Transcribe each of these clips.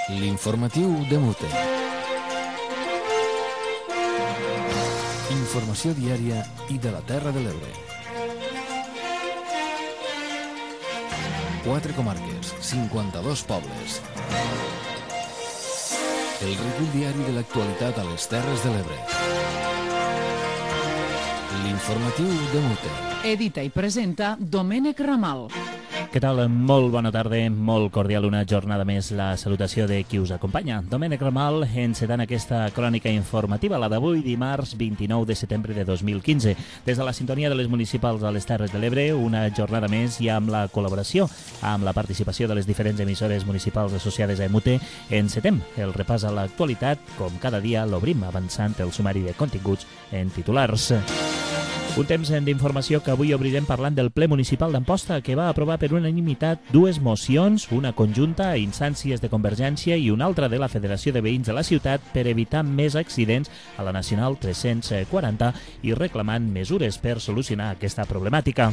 L'informatiu de Mute. Informació diària i de la Terra de l'Ebre. 4 comarques, 52 pobles. El recull diari de l'actualitat a les Terres de l'Ebre. L'informatiu de Mute. Edita i presenta Domènec Ramal. Què tal? Molt bona tarda, molt cordial una jornada més la salutació de qui us acompanya. Domènec Ramal, encetant aquesta crònica informativa, la d'avui, dimarts 29 de setembre de 2015. Des de la sintonia de les municipals a les Terres de l'Ebre, una jornada més i amb la col·laboració, amb la participació de les diferents emissores municipals associades a EMUTE, encetem el repàs a l'actualitat. Com cada dia l'obrim avançant el sumari de continguts en titulars. Un temps d'informació que avui obrirem parlant del ple municipal d'Amposta, que va aprovar per unanimitat dues mocions, una conjunta a instàncies de Convergència i una altra de la Federació de Veïns de la ciutat per evitar més accidents a la Nacional 340 i reclamant mesures per solucionar aquesta problemàtica.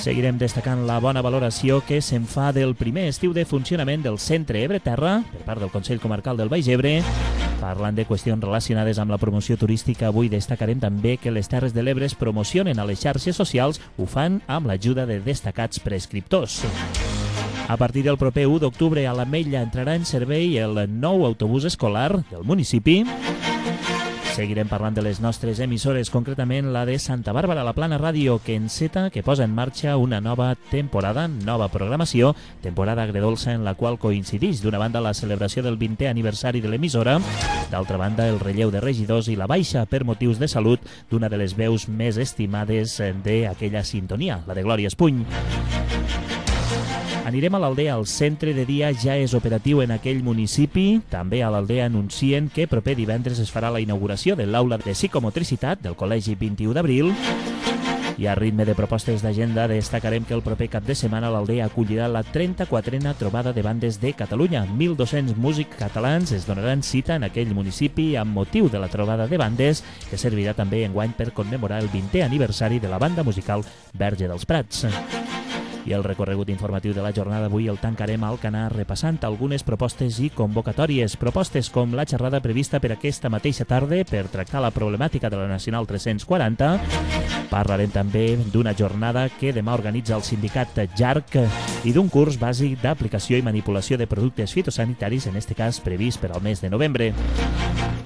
Seguirem destacant la bona valoració que se'n fa del primer estiu de funcionament del Centre Ebre Terra per part del Consell Comarcal del Baix Ebre. Parlant de qüestions relacionades amb la promoció turística, avui destacarem també que les Terres de l'Ebre es promocionen a les xarxes socials, ho fan amb l'ajuda de destacats prescriptors. A partir del proper 1 d'octubre a l'Ametlla entrarà en servei el nou autobús escolar del municipi. Seguirem parlant de les nostres emissores, concretament la de Santa Bàrbara, la Plana Ràdio, que enceta, que posa en marxa una nova temporada, nova programació, temporada agredolça en la qual coincideix d'una banda la celebració del 20è aniversari de l'emissora, d'altra banda el relleu de regidors i la baixa per motius de salut d'una de les veus més estimades d'aquella sintonia, la de Glòria Espuny. Anirem a l'Aldea. El centre de dia ja és operatiu en aquell municipi. També a l'Aldea anuncien que proper divendres es farà la inauguració de l'aula de psicomotricitat del Col·legi 21 d'abril. I a ritme de propostes d'agenda destacarem que el proper cap de setmana l'Aldea acollirà la 34a trobada de bandes de Catalunya. 1.200 músics catalans es donaran cita en aquell municipi amb motiu de la trobada de bandes, que servirà també enguany per commemorar el 20è aniversari de la banda musical Verge dels Prats. I el recorregut informatiu de la jornada d'avui el tancarem al Alcanar repassant algunes propostes i convocatòries. Propostes com la xerrada prevista per aquesta mateixa tarda per tractar la problemàtica de la Nacional 340. Parlarem també d'una jornada que demà organitza el sindicat JARC i d'un curs bàsic d'aplicació i manipulació de productes fitosanitaris, en este cas previst per al mes de novembre.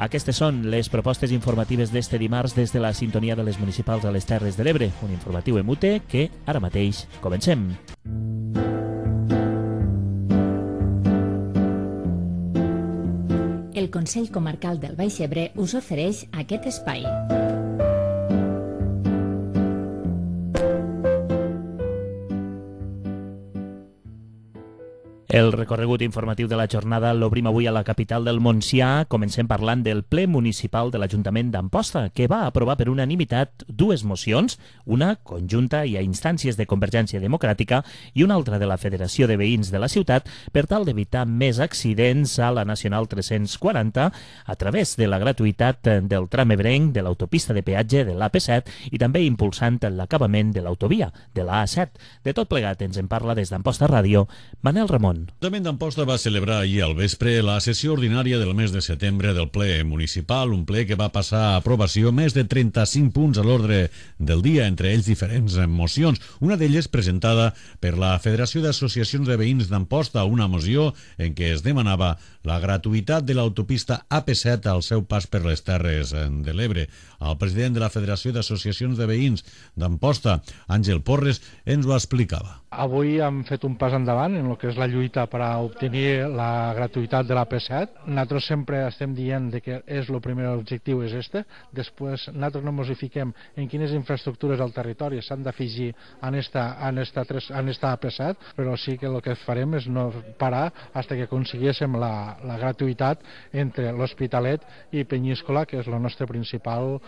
Aquestes són les propostes informatives d'este dimarts des de la sintonia de les municipals a les Terres de l'Ebre. Un informatiu EMUTE que ara mateix comencem. El Consell Comarcal del Baix Ebre us ofereix aquest espai. El recorregut informatiu de la jornada l'obrim avui a la capital del Montsià. Comencem parlant del ple municipal de l'Ajuntament d'Amposta, que va aprovar per unanimitat dues mocions, una conjunta i a instàncies de Convergència Democràtica i una altra de la Federació de Veïns de la ciutat, per tal d'evitar més accidents a la Nacional 340 a través de la gratuïtat del tram ebrenc, de l'autopista de peatge de l'AP7 i també impulsant l'acabament de l'autovia de l'A7. De tot plegat ens en parla des d'Amposta Ràdio Manel Ramon. L'Ajuntament d'Amposta va celebrar ahir al vespre la sessió ordinària del mes de setembre del ple municipal, un ple que va passar a aprovació més de 35 punts a l'ordre del dia, entre ells diferents mocions. Una d'elles presentada per la Federació d'Associacions de Veïns d'Amposta, una moció en què es demanava la gratuïtat de l'autopista AP7 al seu pas per les Terres de l'Ebre. El president de la Federació d'Associacions de Veïns d'Amposta, Àngel Porres, ens ho explicava. Avui hem fet un pas endavant en el que és la lluita per a obtenir la gratuïtat de l'AP7. Nosaltres sempre estem dient que és el primer objectiu és este. Després nosaltres no ens fiquem en quines infraestructures al territori s'han d'afegir en esta AP7, però sí que el que farem és no parar fins que aconseguíssim la gratuïtat entre l'Hospitalet i Penyíscola, que és el nostre principal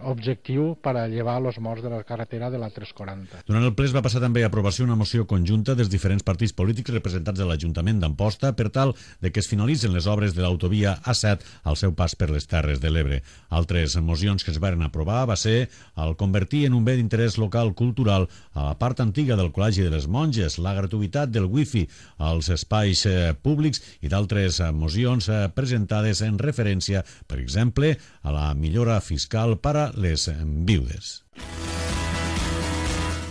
objectiu per a llevar els morts de la carretera de la 340. Durant el ple es va passar també a aprovació una moció conjunta dels diferents partits polítics representats de l'Ajuntament d'Amposta per tal de que es finalitzen les obres de l'autovia A7 al seu pas per les Terres de l'Ebre. Altres mocions que es varen aprovar va ser el convertir en un bé d'interès local cultural a la part antiga del Col·legi de les Monges, la gratuïtat del wifi als espais públics i d'altres mocions presentades en referència, per exemple, a la millora fiscal per a les viudes.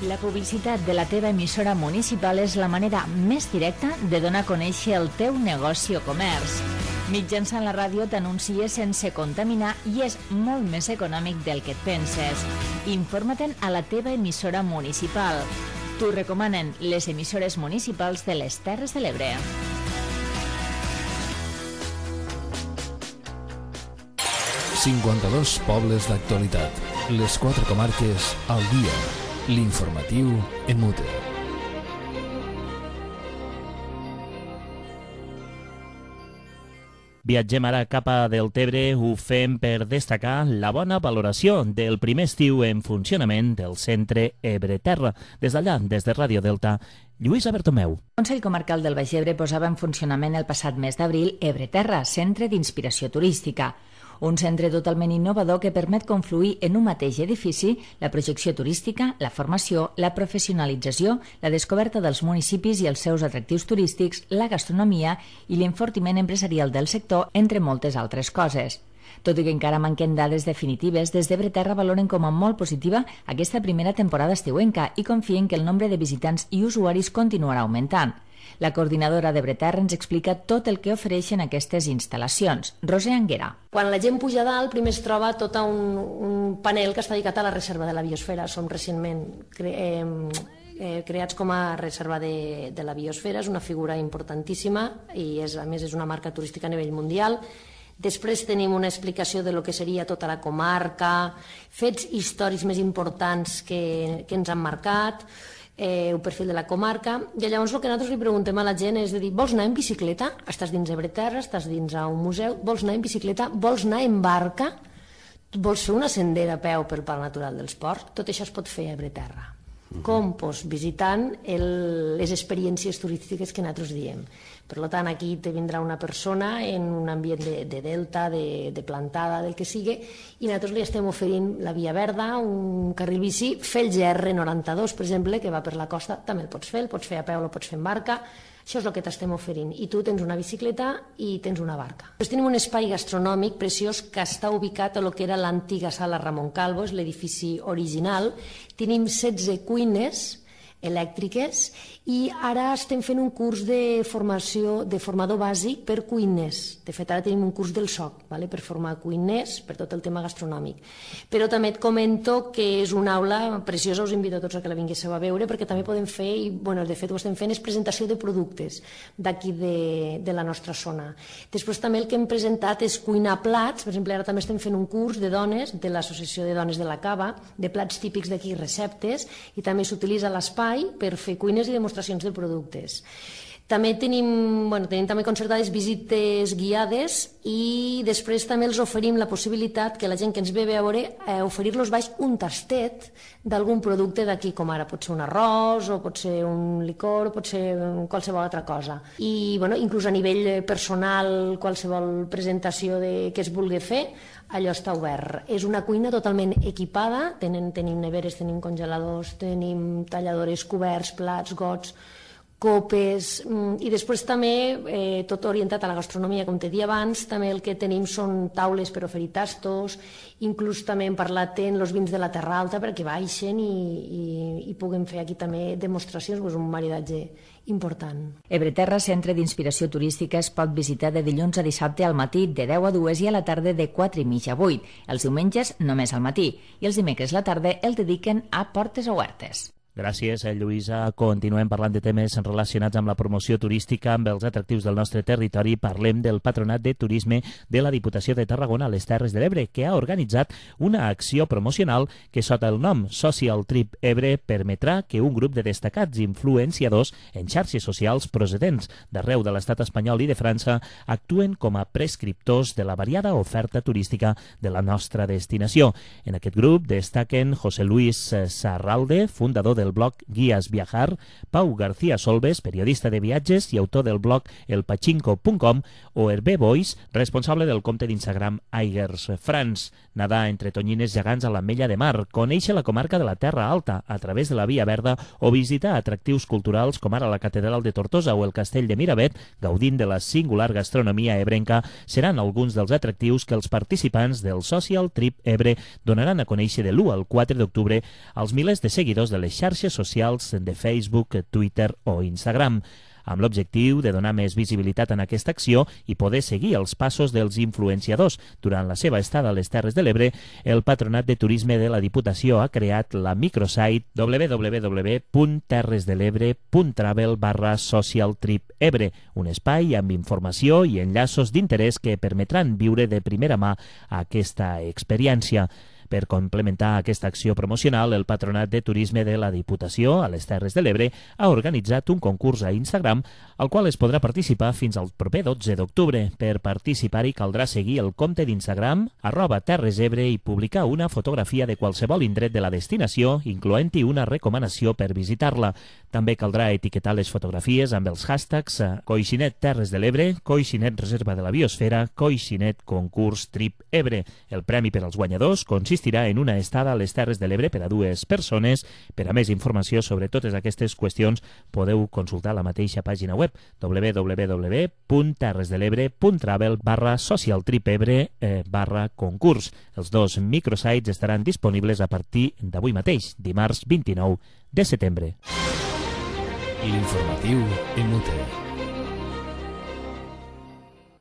La publicitat de la teva emissora municipal és la manera més directa de donar a conèixer el teu negoci o comerç. Mitjançant la ràdio t'anuncies sense contaminar i és molt més econòmic del que et penses. Informa-te'n a la teva emissora municipal. T'ho recomanen les emissores municipals de les Terres de l'Ebre. ...52 pobles d'actualitat. Les 4 comarques al dia. L'informatiu en mute. Viatgem ara cap a Deltebre, ho fem per destacar la bona valoració del primer estiu en funcionament del centre Ebre-Terra. Des d'allà, des de Ràdio Delta, Lluïsa Bertomeu. El Consell Comarcal del Baix Ebre posava en funcionament el passat mes d'abril Ebre-Terra, centre d'inspiració turística. Un centre totalment innovador que permet confluir en un mateix edifici la projecció turística, la formació, la professionalització, la descoberta dels municipis i els seus atractius turístics, la gastronomia i l'enfortiment empresarial del sector, entre moltes altres coses. Tot i que encara manquen dades definitives, des d'Ebre-Terra valoren com a molt positiva aquesta primera temporada estiuenca i confien que el nombre de visitants i usuaris continuarà augmentant. La coordinadora d'Ebre-Terra ens explica tot el que ofereixen aquestes instal·lacions. Roser Anguera. Quan la gent puja dalt, primer es troba tot un panel que està dedicat a la reserva de la biosfera. Som recentment creats com a reserva de la biosfera, és una figura importantíssima i a més és una marca turística a nivell mundial. Després tenim una explicació de lo que seria tota la comarca, fets històrics més importants que ens han marcat, el perfil de la comarca, i llavors el que nosaltres li preguntem a la gent és de dir, vols anar en bicicleta? Estàs dins Ebre-Terra, estàs dins un museu, vols anar en bicicleta? Vols anar en barca? Vols fer una sendera a peu pel Parc Natural dels Ports? Tot això es pot fer a Ebre-Terra. Com? Doncs visitant les experiències turístiques que nosaltres diem. Per tant, aquí te vindrà una persona en un ambient de delta, de plantada, del que sigui, i nosaltres li estem oferint la via verda, un carril bici, fer el GR92, per exemple, que va per la costa, també el pots fer a peu, el pots fer en barca. Això és el que t'estem oferint. I tu tens una bicicleta i tens una barca. Després tenim un espai gastronòmic preciós que està ubicat a lo que era l'antiga sala Ramon Calvo, és l'edifici original. Tenim 16 cuines elèctriques i ara estem fent un curs de formació de formador bàsic per cuiners. De fet, ara tenim un curs del SOC per formar cuiners per tot el tema gastronòmic. Però també et comento que és una aula preciosa, us invito a tots a que la vinguéssiu a veure, perquè també podem fer, i de fet ho estem fent, és presentació de productes d'aquí de la nostra zona. Després també el que hem presentat és cuinar plats, per exemple, ara també estem fent un curs de dones, de l'Associació de Dones de la Cava, de plats típics d'aquí, receptes, i també s'utilitza l'espai per fer cuines i demostracions de productes. També tenim també concertades visites guiades i després també els oferim la possibilitat que la gent que ens ve a veure oferir-los baix un tastet d'algun producte d'aquí, com ara pot ser un arròs o pot ser un licor o pot ser qualsevol altra cosa. I inclús a nivell personal, qualsevol presentació que es vulgui fer, allò està obert. És una cuina totalment equipada, tenim neveres, tenim congeladors, tenim talladores, coberts, plats, gots, copes, i després també tot orientat a la gastronomia, com t'he dit abans. També el que tenim són taules per oferir tastos, inclús també hem parlat en els vins de la Terra Alta perquè baixen i puguem fer aquí també demostracions, un maridatge important. Ebre-Terra, centre d'inspiració turística, es pot visitar de dilluns a dissabte al matí de 10 a 2 i a la tarda de 4:30 a 8. Els diumenges només al matí i els dimecres a la tarda el dediquen a portes obertes. Gràcies, Lluïsa. Continuem parlant de temes relacionats amb la promoció turística, amb els atractius del nostre territori. Parlem del Patronat de Turisme de la Diputació de Tarragona a les Terres de l'Ebre, que ha organitzat una acció promocional que, sota el nom Social Trip Ebre, permetrà que un grup de destacats influenciadors en xarxes socials procedents d'arreu de l'estat espanyol i de França actuen com a prescriptors de la variada oferta turística de la nostra destinació. En aquest grup destaquen José Luis Sarralde, fundador de del blog Guías Viajar, Pau García Solves, periodista de viatges i autor del blog elpachinko.com, o Hervé Boix, responsable del compte d'Instagram Aigers France. Nadar entre tonyines gegants a l'Ametlla de Mar, conèixer la comarca de la Terra Alta a través de la Via Verda o visitar atractius culturals com ara la Catedral de Tortosa o el Castell de Miravet, gaudint de la singular gastronomia ebrenca, seran alguns dels atractius que els participants del Social Trip Ebre donaran a conèixer de l'1 al 4 d'octubre als milers de seguidors de les xarxes socials de Facebook, Twitter o Instagram, amb l'objectiu de donar més visibilitat en aquesta acció i poder seguir els passos dels influenciadors. Durant la seva estada a les Terres de l'Ebre, el Patronat de Turisme de la Diputació ha creat la microsite www.terresdelebre.travel/socialtripebre, un espai amb informació i enllaços d'interès que permetran viure de primera mà aquesta experiència. Per complementar aquesta acció promocional, el Patronat de Turisme de la Diputació a les Terres de l'Ebre ha organitzat un concurs a Instagram al qual es podrà participar fins al proper 12 d'octubre. Per participar-hi caldrà seguir el compte d'Instagram @terresebre i publicar una fotografia de qualsevol indret de la destinació, incloent-hi una recomanació per visitar-la. També caldrà etiquetar les fotografies amb els hashtags Coixinet Terres de l'Ebre, Coixinet Reserva de la Biosfera, Coixinet Concurs Trip Ebre. El premi per als guanyadors consistirà en una estada a les Terres de l'Ebre per a 2 persones. Per a més informació sobre totes aquestes qüestions podeu consultar la mateixa pàgina web www.terresdelebre.travel/socialtripebre/concurs. Els 2 microsites estaran disponibles a partir d'avui mateix, dimarts 29 de setembre. L'informatiu MUT.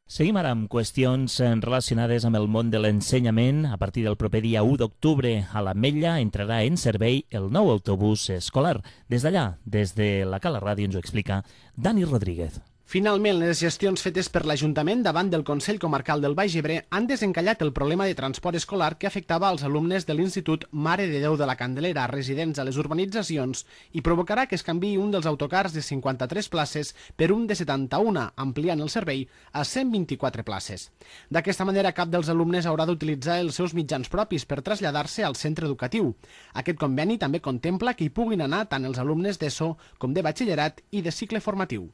Seguim ara amb qüestions relacionades amb el món de l'ensenyament. A partir del proper dia 1 d'octubre a l'Ametlla entrarà en servei el nou autobús escolar. Des d'allà, des de la Cala Ràdio, ens ho explica Dani Rodríguez. Finalment, les gestions fetes per l'Ajuntament davant del Consell Comarcal del Baix Ebre han desencallat el problema de transport escolar que afectava als alumnes de l'Institut Mare de Déu de la Candelera, residents a les urbanitzacions, i provocarà que es canviï un dels autocars de 53 places per un de 71, ampliant el servei a 124 places. D'aquesta manera, cap dels alumnes haurà d'utilitzar els seus mitjans propis per traslladar-se al centre educatiu. Aquest conveni també contempla que hi puguin anar tant els alumnes d'ESO com de batxillerat i de cicle formatiu.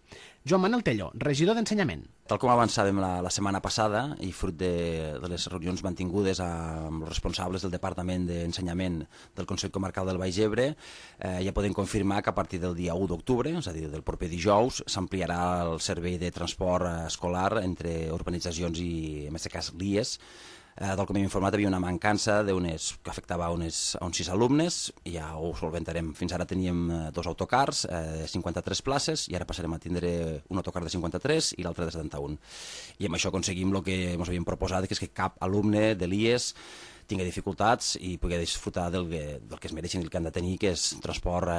Joan Manuel Tello, regidor d'Ensenyament. Tal com avançàvem la setmana passada i fruit de les reunions mantingudes amb els responsables del Departament d'Ensenyament del Consell Comarcal del Baix Ebre, ja podem confirmar que a partir del dia 1 d'octubre, és a dir, del proper dijous, s'ampliarà el servei de transport escolar entre urbanitzacions i, en aquest cas, l'IES. Tal com hem informat, hi havia una mancança que afectava a uns 6 alumnes, i ja ho solventarem. Fins ara teníem 2 autocars, 53 places, i ara passarem a tindre un autocar de 53 i l'altre de 71. I amb això aconseguim el que ens havíem proposat, que és que cap alumne de l'IES tingui dificultats i pugui disfrutar del que es mereixen i el que han de tenir, que és transport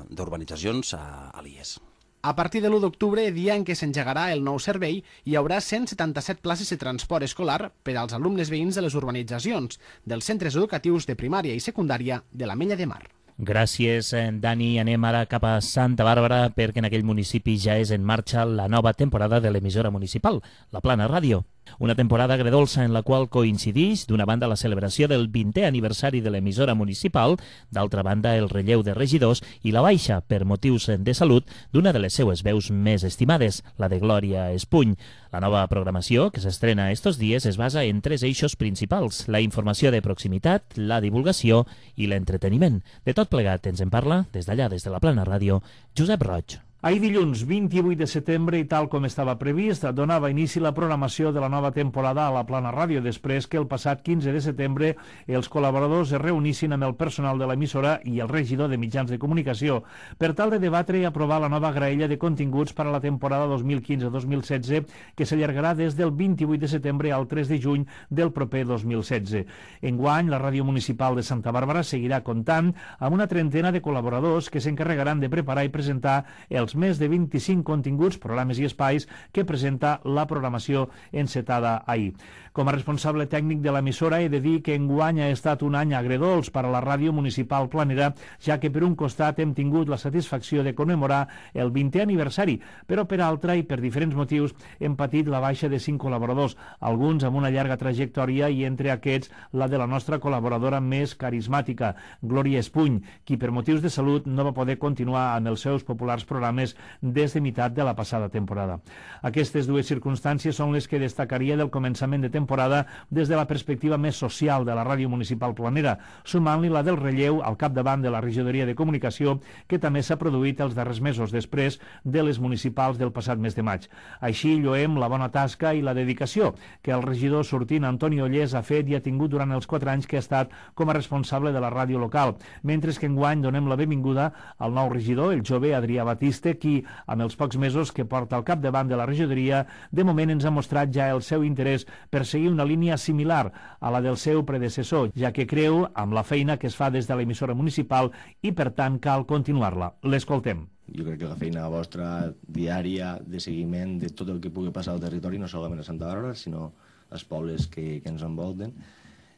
d'urbanitzacions a l'IES. A partir de l'1 d'octubre, dia en què s'engegarà el nou servei, hi haurà 177 places de transport escolar per als alumnes veïns de les urbanitzacions, dels centres educatius de primària i secundària de l'Ametlla de Mar. Gràcies, Dani. Anem ara cap a Santa Bàrbara, perquè en aquell municipi ja és en marxa la nova temporada de l'emissora municipal, la Plana Ràdio. Una temporada agredolça en la qual coincideix, d'una banda, la celebració del 20è aniversari de l'emissora municipal, d'altra banda, el relleu de regidors i la baixa, per motius de salut, d'una de les seues veus més estimades, la de Glòria Espuny. La nova programació, que s'estrena estos dies, es basa en 3 eixos principals: la informació de proximitat, la divulgació i l'entreteniment. De tot plegat ens en parla, des d'allà, des de la Plana Ràdio, Josep Roig. Ahir dilluns 28 de setembre, i tal com estava previst, donava inici la programació de la nova temporada a la Plana Ràdio, després que el passat 15 de setembre els col·laboradors es reunissin amb el personal de l'emissora i el regidor de mitjans de comunicació per tal de debatre i aprovar la nova graella de continguts per a la temporada 2015-2016, que s'allargarà des del 28 de setembre al 3 de juny del proper 2016. Enguany, la Ràdio Municipal de Santa Bàrbara seguirà comptant amb una trentena de col·laboradors que s'encarregaran de preparar i presentar els dels més de 25 continguts, programes i espais que presenta la programació encetada ahir. Com a responsable tècnic de l'emissora he de dir que enguany ha estat un any agredolç per a la ràdio municipal planera, ja que per un costat hem tingut la satisfacció de commemorar el 20è aniversari, però per altra i per diferents motius hem patit la baixa de 5 col·laboradors, alguns amb una llarga trajectòria i entre aquests la de la nostra col·laboradora més carismàtica, Glòria Espuny, qui per motius de salut no va poder continuar amb els seus populars programes des de meitat de la passada temporada. Aquestes dues circumstàncies són les que destacaria del començament de temporada des de la perspectiva més social de la ràdio municipal planera, sumant-li la del relleu al capdavant de la regidoria de comunicació que també s'ha produït els darrers mesos després de les municipals del passat mes de maig. Així lloem la bona tasca i la dedicació que el regidor sortint Antoni Ollés ha fet i ha tingut durant els 4 anys que ha estat com a responsable de la ràdio local, mentre que enguany donem la benvinguda al nou regidor, el jove Adrià Batiste, qui, amb els pocs mesos que porta al capdavant de la regidoria, de moment ens ha mostrat ja el seu interès per seguir una línia similar a la del seu predecessor, ja que creu amb la feina que es fa des de l'emissora municipal i, per tant, cal continuar-la. L'escoltem. Jo crec que la feina vostra diària de seguiment de tot el que pugui passar al territori, no solament a Santa Bàrbara, sinó als pobles que ens envolten,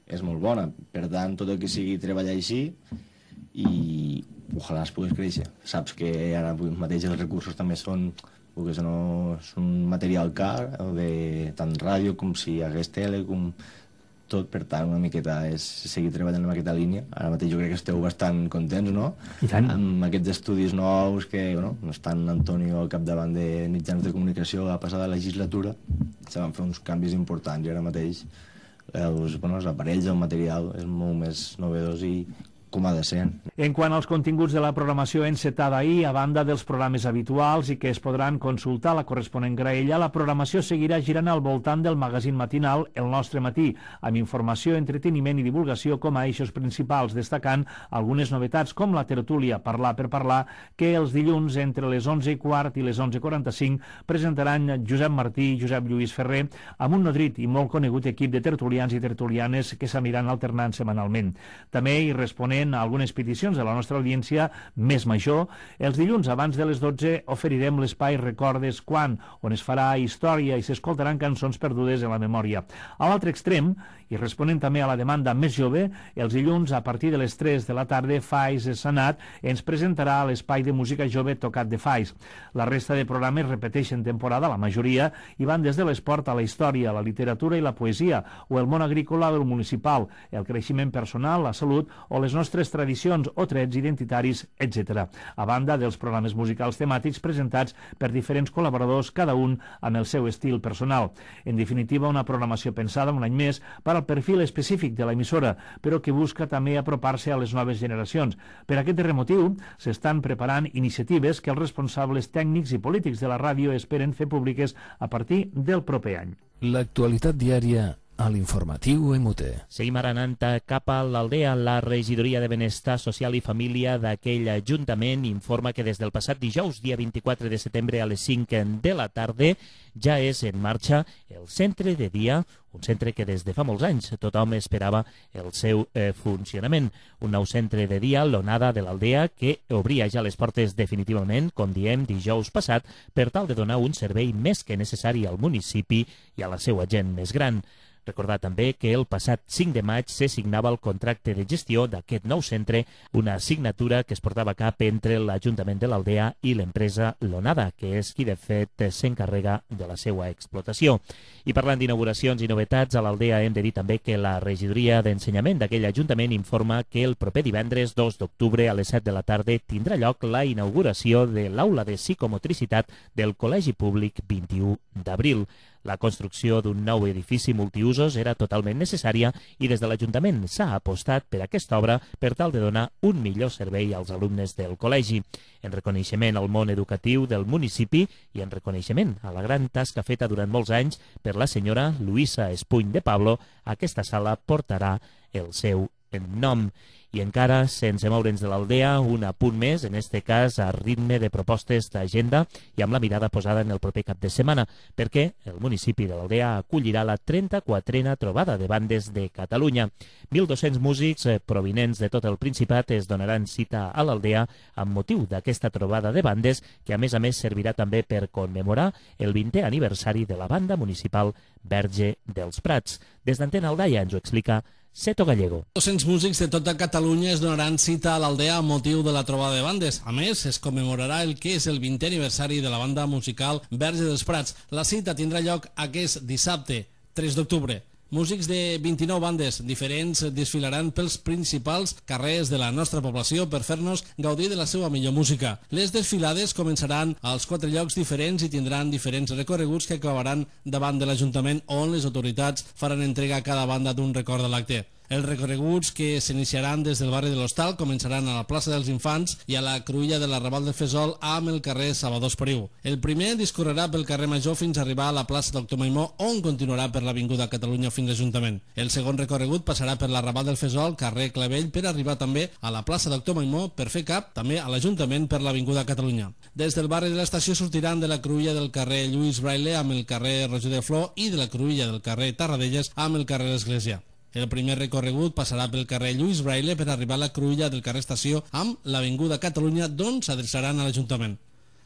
és molt bona. Per tant, tot el que sigui treballar així i ojalà es pogués créixer. Saps que ara mateix els recursos també són perquè no és un material car, de tant ràdio com si hi hagués tele, com tot, per tant, una miqueta és seguir treballant en aquesta línia. Ara mateix jo crec que esteu bastant contents, no? I tant. Amb aquests estudis nous que, bueno, no estan Antonio al capdavant de mitjans de comunicació a la passada legislatura, se van fer uns canvis importants i ara mateix els aparells, el material és molt més novedós i com ha de ser. En quant als continguts de la programació encetada ahir, a banda dels programes habituals i que es podran consultar a la corresponent graella, la programació seguirà girant al voltant del magazín matinal El Nostre Matí, amb informació, entreteniment i divulgació com a eixos principals, destacant algunes novetats com la tertúlia Parlar per Parlar, que els dilluns entre les 11:15 i les 11:45 presentaran Josep Martí i Josep Lluís Ferrer amb un nodrit i molt conegut equip de tertulians i tertulianes que s'aniran alternant setmanalment. També hi responent a algunes peticions de la nostra audiència més major, els dilluns abans de les 12 oferirem l'espai Recordes Quan, on es farà història i s'escoltaran cançons perdudes en la memòria. A l'altre extrem, i responent també a la demanda més jove, els dilluns a partir de les 3 de la tarda Fais Sanat ens presentarà l'espai de música jove Tocat de Fais. La resta de programes repeteixen temporada, la majoria, i van des de l'esport a la història, la literatura i la poesia, o el món agrícola o el municipal, el creixement personal, la salut o les nostres tradicions o trets identitaris, etc. A banda dels programes musicals temàtics presentats per diferents col·laboradors, cada un amb el seu estil personal. En definitiva, una programació pensada un any més per al perfil específic de l'emissora, però que busca també apropar-se a les noves generacions. Per aquest motiu, s'estan preparant iniciatives que els responsables tècnics i polítics de la ràdio esperen fer públiques a partir del proper any. L'actualitat diària a l'informatiu MUT. Seguim ara anant cap a l'Aldea. La regidoria de Benestar Social i Família d'aquell ajuntament informa que des del passat dijous, dia 24 de setembre a les 5 de la tarda, ja és en marxa el centre de dia, un centre que des de fa molts anys tothom esperava el seu funcionament. Un nou centre de dia, l'Onada de l'Aldea, que obria ja les portes definitivament, com diem, dijous passat, per tal de donar un servei més que necessari al municipi i a la seva gent més gran. Recordar també que el passat 5 de maig se signava el contracte de gestió d'aquest nou centre, una signatura que es portava a cap entre l'Ajuntament de l'Aldea i l'empresa L'Onada, que és qui de fet s'encarrega de la seva explotació. I parlant d'inauguracions i novetats, a l'Aldea hem de dir també que la regidoria d'ensenyament d'aquell ajuntament informa que el proper divendres 2 d'octubre a les 7 de la tarda tindrà lloc la inauguració de l'aula de psicomotricitat del Col·legi Públic 21 d'abril. La construcció d'un nou edifici multiusos era totalment necessària i des de l'Ajuntament s'ha apostat per aquesta obra per tal de donar un millor servei als alumnes del col·legi. En reconeixement al món educatiu del municipi i en reconeixement a la gran tasca feta durant molts anys per la senyora Luisa Espuny de Pablo, aquesta sala portarà el seu nom. I encara, sense moure'ns de l'Aldea, un apunt més, en este cas a ritme de propostes d'agenda i amb la mirada posada en el proper cap de setmana, perquè el municipi de l'Aldea acollirà la 34a trobada de bandes de Catalunya. 1.200 músics provinents de tot el Principat es donaran cita a l'Aldea amb motiu d'aquesta trobada de bandes que a més servirà també per commemorar el 20è aniversari de la banda municipal Verge dels Prats. Des d'Antena Aldaia ens ho explica Seto Gallego. 200 músics de tota Catalunya es donaran cita a l'Aldea amb motiu de la trobada de bandes. A més, es commemorarà el que és el 20è aniversari de la banda musical Verge dels Prats. La cita tindrà lloc aquest dissabte, 3 d'octubre. Músics de 29 bandes diferents desfilaran pels principals carrers de la nostra població per fer-nos gaudir de la seva millor música. Les desfilades començaran als 4 llocs diferents i tindran diferents recorreguts que acabaran davant de l'Ajuntament on les autoritats faran entrega a cada banda d'un record de l'acte. Els recorreguts que s'iniciaran des del barri de l'Hostal començaran a la plaça dels Infants i a la cruïlla de l'Arrabal del Fesol amb el carrer Salvador Espriu. El primer discorrerà pel carrer Major fins a arribar a la plaça Doctor Maimó, on continuarà per l'Avinguda Catalunya fins a l'Ajuntament. El segon recorregut passarà per l'Arrabal del Fesol, carrer Clavell, per arribar també a la plaça Doctor Maimó per fer cap també a l'Ajuntament per l'Avinguda Catalunya. Des del barri de l'estació sortiran de la cruïlla del carrer Lluís Braille amb el carrer Roger de Flor i de la cruïlla del carrer Tarradellas amb el carrer l'Església. El primer recorregut passarà pel carrer Lluís Braille per arribar a la cruïlla del carrer Estació amb l'Avinguda Catalunya, d'on s'adreçaran a l'Ajuntament.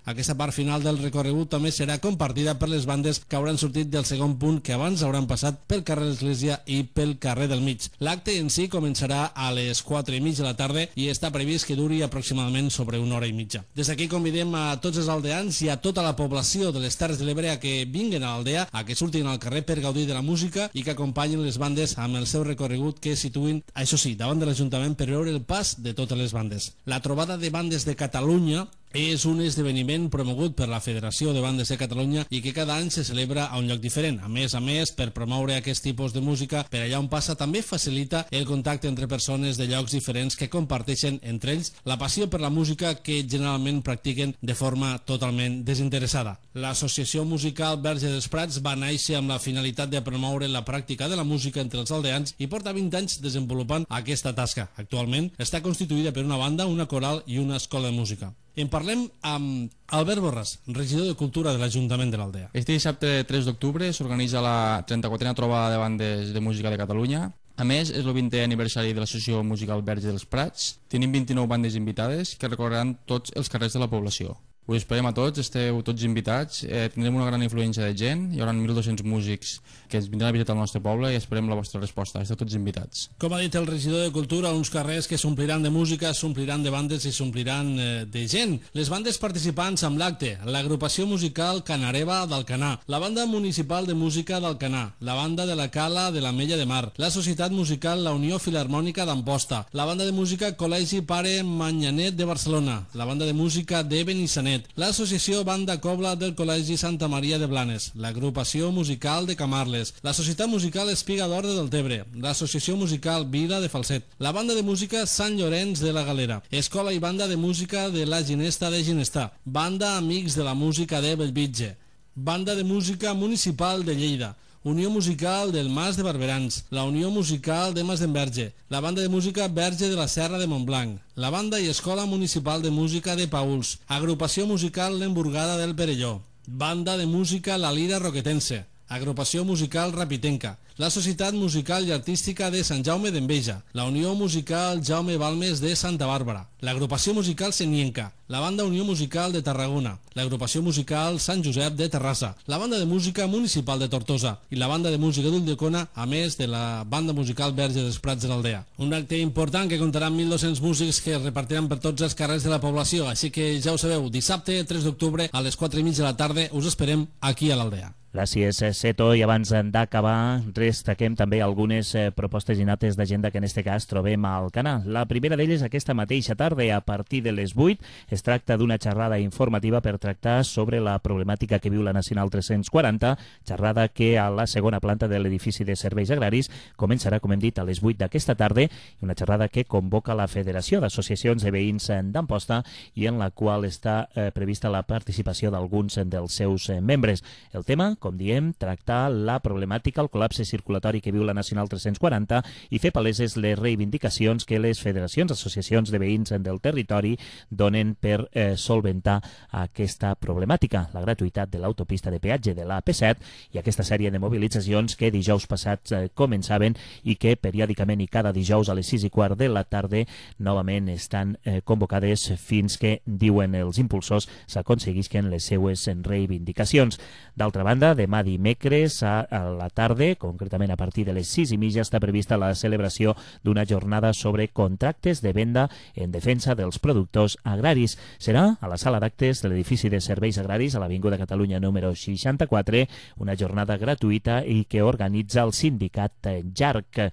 Aquesta part final del recorregut també serà compartida per les bandes que hauran sortit del segon punt que abans hauran passat pel carrer l'Església i pel carrer del Mig. L'acte en si començarà a les 4:30 de la tarda i està previst que duri aproximadament sobre 1 hora i mitja. Des d'aquí convidem a tots els aldeans i a tota la població de les Terres de l'Ebre a que vinguen a l'Aldea, a que surtin al carrer per gaudir de la música i que acompanyin les bandes amb el seu recorregut que situïn, això sí, davant de l'Ajuntament per veure el pas de totes les bandes. La trobada de bandes de Catalunya és un esdeveniment promogut per la Federació de Bandes de Catalunya i que cada any se celebra a un lloc diferent. A més, per promoure aquest tipus de música per allà on passa, també facilita el contacte entre persones de llocs diferents que comparteixen entre ells la passió per la música que generalment practiquen de forma totalment desinteressada. L'Associació Musical Verge dels Prats va néixer amb la finalitat de promoure la pràctica de la música entre els aldeans i porta 20 anys desenvolupant aquesta tasca. Actualment està constituïda per una banda, una coral i una escola de música. En parlem amb Albert Borràs, regidor de Cultura de l'Ajuntament de l'Aldea. Este dissabte 3 d'octubre s'organitza la 34a trobada de bandes de música de Catalunya. A més, és el 20è aniversari de l'Associació Musical Verge dels Prats. Tenim 29 bandes invitades que recorreran tots els carrers de la població. Us esperem a tots, esteu tots invitats, tindrem una gran influència de gent, hi haurà 1.200 músics que ens vindran a visitar el nostre poble i esperem la vostra resposta, esteu tots invitats. Com ha dit el regidor de Cultura, uns carrers que s'ompliran de música, s'ompliran de bandes i s'ompliran de gent. Les bandes participants amb l'acte, l'agrupació musical Canareva d'Alcanar, la banda municipal de música d'Alcanar, la banda de la Cala de l'Ametlla de Mar, la societat musical La Unió Filharmònica d'Amposta, la banda de música Col·legi Pare Manyanet de Barcelona, la banda de música de Benissanet, l'Associació Banda Cobla del Col·legi Santa Maria de Blanes, l'Agrupació Musical de Camarles, la Societat Musical Espiga d'Or de Deltebre, l'Associació Musical Vila de Falset, la Banda de Música Sant Llorenç de la Galera, Escola i Banda de Música de la Ginesta de Ginestà, Banda Amics de la Música de Bellvitge, Banda de Música Municipal de Lleida, Unió Musical del Mas de Barberans, la Unió Musical de Mas d'Enverge, la Banda de Música Verge de la Serra de Montblanc, la Banda i Escola Municipal de Música de Pauls, Agrupació Musical L'Emburgada del Perelló, Banda de Música La Lira Roquetense, Agrupació Musical Rapitenca, la Societat Musical i Artística de Sant Jaume d'Enveja, la Unió Musical Jaume Balmes de Santa Bàrbara, l'Agrupació Musical Senienca, la Banda Unió Musical de Tarragona, l'Agrupació Musical Sant Josep de Terrassa, la Banda de Música Municipal de Tortosa i la Banda de Música d'Ulldecona, a més de la Banda Musical Verge dels Prats de l'Aldea. Un acte important que comptarà amb 1.200 músics que es repartiran per tots els carrers de la població, així que ja ho sabeu, dissabte 3 d'octubre a les 4:30 de la tarda us esperem aquí a l'Aldea. Gràcies, Seto. I abans d'acabar, destaquem també algunes propostes i nates d'agenda que en aquest cas trobem a Alcanar. La primera d'elles aquesta mateixa tarda, a partir de les 8, es tracta d'una xerrada informativa per tractar sobre la problemàtica que viu la Nacional 340, xerrada que a la segona planta de l'edifici de serveis agraris començarà, com hem dit, a les 8 d'aquesta tarda, una xerrada que convoca la Federació d'Associacions de Veïns d'Amposta i en la qual està prevista la participació d'alguns dels seus membres. El tema, com diem, tractar la problemàtica, el col·lapse circulatori que viu la Nacional 340 i fer paleses les reivindicacions que les federacions, associacions de veïns del territori donen per solventar aquesta problemàtica, la gratuïtat de l'autopista de peatge de l'AP7 i aquesta sèrie de mobilitzacions que dijous passats començaven i que periòdicament i cada dijous a les 6:15 de la tarda novament estan convocades fins que, diuen els impulsors, s'aconseguisquen les seues reivindicacions. D'altra banda, demà dimecres a la tarda, concretament a partir de les 6:30, està prevista la celebració d'una jornada sobre contractes de venda en defensa dels productors agraris. Serà a la sala d'actes de l'edifici de serveis agraris a l'Avinguda Catalunya número 64, una jornada gratuïta i que organitza el sindicat JARC.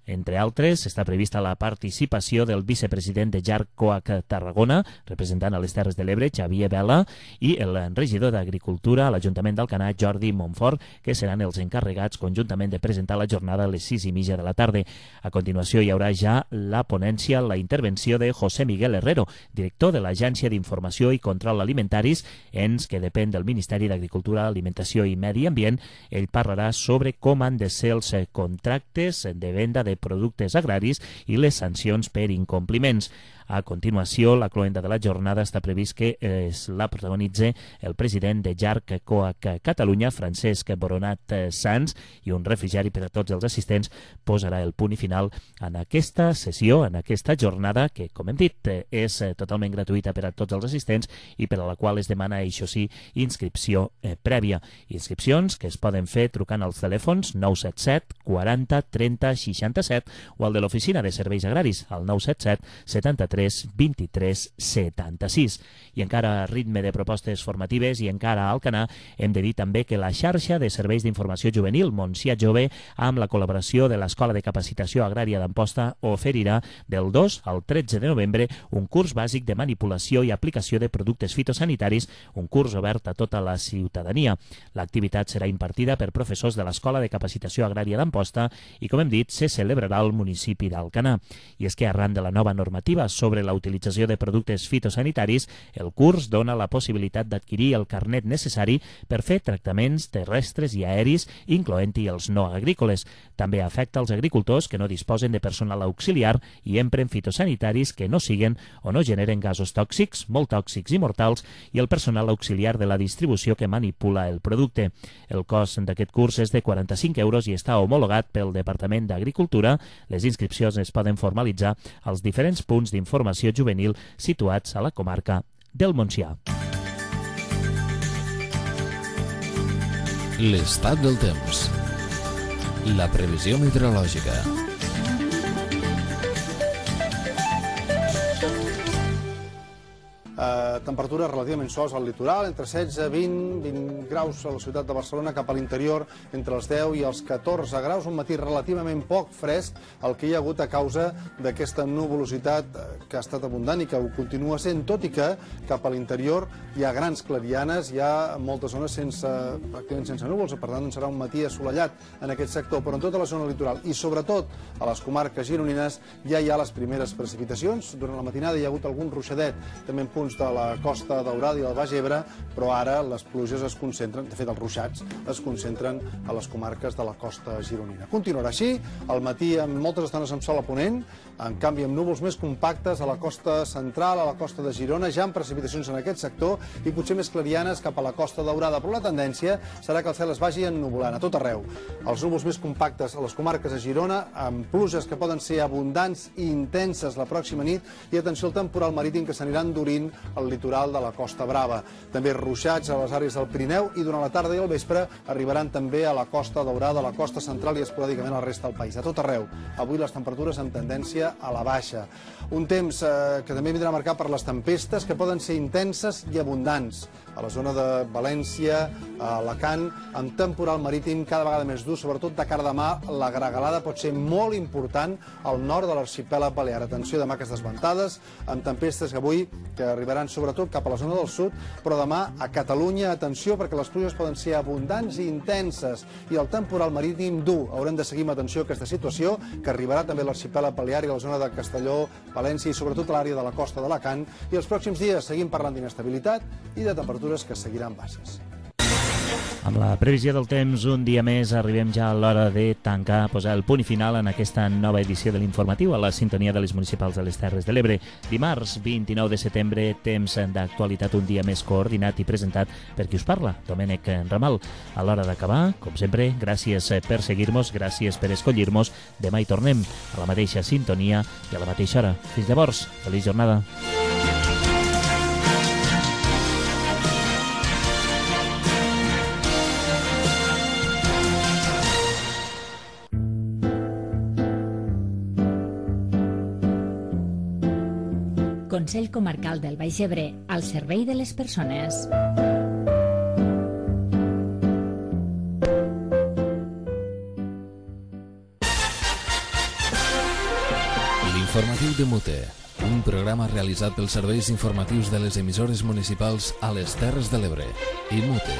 Entre altres, està prevista la participació del vicepresident de JARC COAC Tarragona, representant a les Terres de l'Ebre, Xavier Vela, i el regidor d'Agricultura a l'Ajuntament d'Alcanar, Jordi Montfort, que seran els encarregats conjuntament de presentar la jornada a les 6:30 de la tarda. A continuació hi haurà ja la ponència, la intervenció de José Miguel Herrero, director de l'Agència d'Informació i Control Alimentaris, ens que depèn del Ministeri d'Agricultura, Alimentació i Medi Ambient. Ell parlarà sobre com han de ser els contractes de venda de productes agraris i les sancions per incompliments. A continuació, la cloenda de la jornada està previst que la protagonitze el president de JARC COAC Catalunya, Francesc Boronat Sans, i un refrigeri per a tots els assistents posarà el punt i final en aquesta sessió, en aquesta jornada, que, com hem dit, és totalment gratuïta per a tots els assistents i per a la qual es demana, això sí, inscripció prèvia. Inscripcions que es poden fer trucant als telèfons 977 40 30 67 o al de l'Oficina de Serveis Agraris, al 977 73 23 76. I encara a ritme de propostes formatives i encara a Alcanar, hem de dir també que la xarxa de serveis d'informació juvenil Montsià Jove, amb la col·laboració de l'Escola de Capacitació Agrària d'Amposta, oferirà del 2 al 13 de novembre un curs bàsic de manipulació i aplicació de productes fitosanitaris, un curs obert a tota la ciutadania. L'activitat serà impartida per professors de l'Escola de Capacitació Agrària d'Amposta i, com hem dit, se celebrarà al municipi d'Alcanar. I és que arran de la nova normativa sobre la utilització de productes fitosanitaris, el curs dona la possibilitat d'adquirir el carnet necessari per fer tractaments terrestres i aeris, incloent-hi els no agrícoles. També afecta els agricultors que no disposen de personal auxiliar i empren fitosanitaris que no siguen o no generen gasos tòxics, molt tòxics i mortals, i el personal auxiliar de la distribució que manipula el producte. El cost d'aquest curs és de 45 euros i està homologat pel Departament d'Agricultura. Les inscripcions es poden formalitzar als diferents punts d'informació juvenil situats a la comarca del Montsià. L'estat del temps. La previsió meteorològica. Temperatures relativament suaus al litoral, entre 16, 20 graus a la ciutat de Barcelona, cap a l'interior entre els 10 i els 14 graus, un matí relativament poc fresc, el que hi ha hagut a causa d'aquesta nuvolositat que ha estat abundant i que ho continua sent, tot i que cap a l'interior hi ha grans clarianes, hi ha moltes zones pràcticament sense núvols, per tant serà un matí assolellat en aquest sector, però en tota la zona litoral i sobretot a les comarques gironines ja hi ha les primeres precipitacions. Durant la matinada hi ha hagut algun ruixadet, també en punts de la Costa Daurada i del Baix Ebre, però ara les pluges es concentren, de fet els ruixats es concentren a les comarques de la costa gironina. Continuarà així, al matí amb moltes estones amb sol a ponent, en canvi amb núvols més compactes a la costa central, a la costa de Girona, ja amb precipitacions en aquest sector i potser més clarianes cap a la Costa Daurada, però la tendència serà que el cel es vagi ennuvolant a tot arreu. Els núvols més compactes a les comarques de Girona, amb pluges que poden ser abundants i intenses la pròxima nit, i atenció al temporal marítim que s'anirà endurint al litoral de la Costa Brava. També ruixats a les àrees del Pirineu i durant la tarda i el vespre arribaran també a la Costa Daurada, a la costa central i esporàdicament a la resta del país. A tot arreu. Avui les temperatures amb tendència a la baixa. Un temps que també vindrà marcat per les tempestes que poden ser intenses i abundants. A la zona de València, a Alacant, amb temporal marítim cada vegada més dur, sobretot de cara a demà, la gregalada pot ser molt important al nord de l'arxipèlag balear. Atenció, demà aquestes ventades, amb tempestes que avui que arribaran sobretot cap a la zona del sud, però demà a Catalunya, atenció, perquè les pluges poden ser abundants i intenses, i el temporal marítim dur. Haurem de seguir amb atenció aquesta situació, que arribarà també a l'arxipèlag balear i a la zona de Castelló, València i sobretot a l'àrea de la costa d'Alacant, i els pròxims dies seguim parlant d'inestabilitat i de temperatures que seguiran baixes. Amb la previsió del temps, un dia més arribem ja a l'hora de tancar, posar el punt i final en aquesta nova edició de l'informatiu a la sintonia de les municipals de les Terres de l'Ebre. Dimarts, 29 de setembre, temps d'actualitat un dia més coordinat i presentat per qui us parla, Domènec Ramal. A l'hora d'acabar, com sempre, gràcies per seguir-nos, gràcies per escollir-nos. Demà hi tornem a la mateixa sintonia i a la mateixa hora. Fins llavors, feliç jornada. Consell Comarcal del Baix Ebre, al servei de les persones. L'informatiu de Mute, un programa realitzat pels serveis informatius de les emissores municipals a les Terres de l'Ebre i Mute.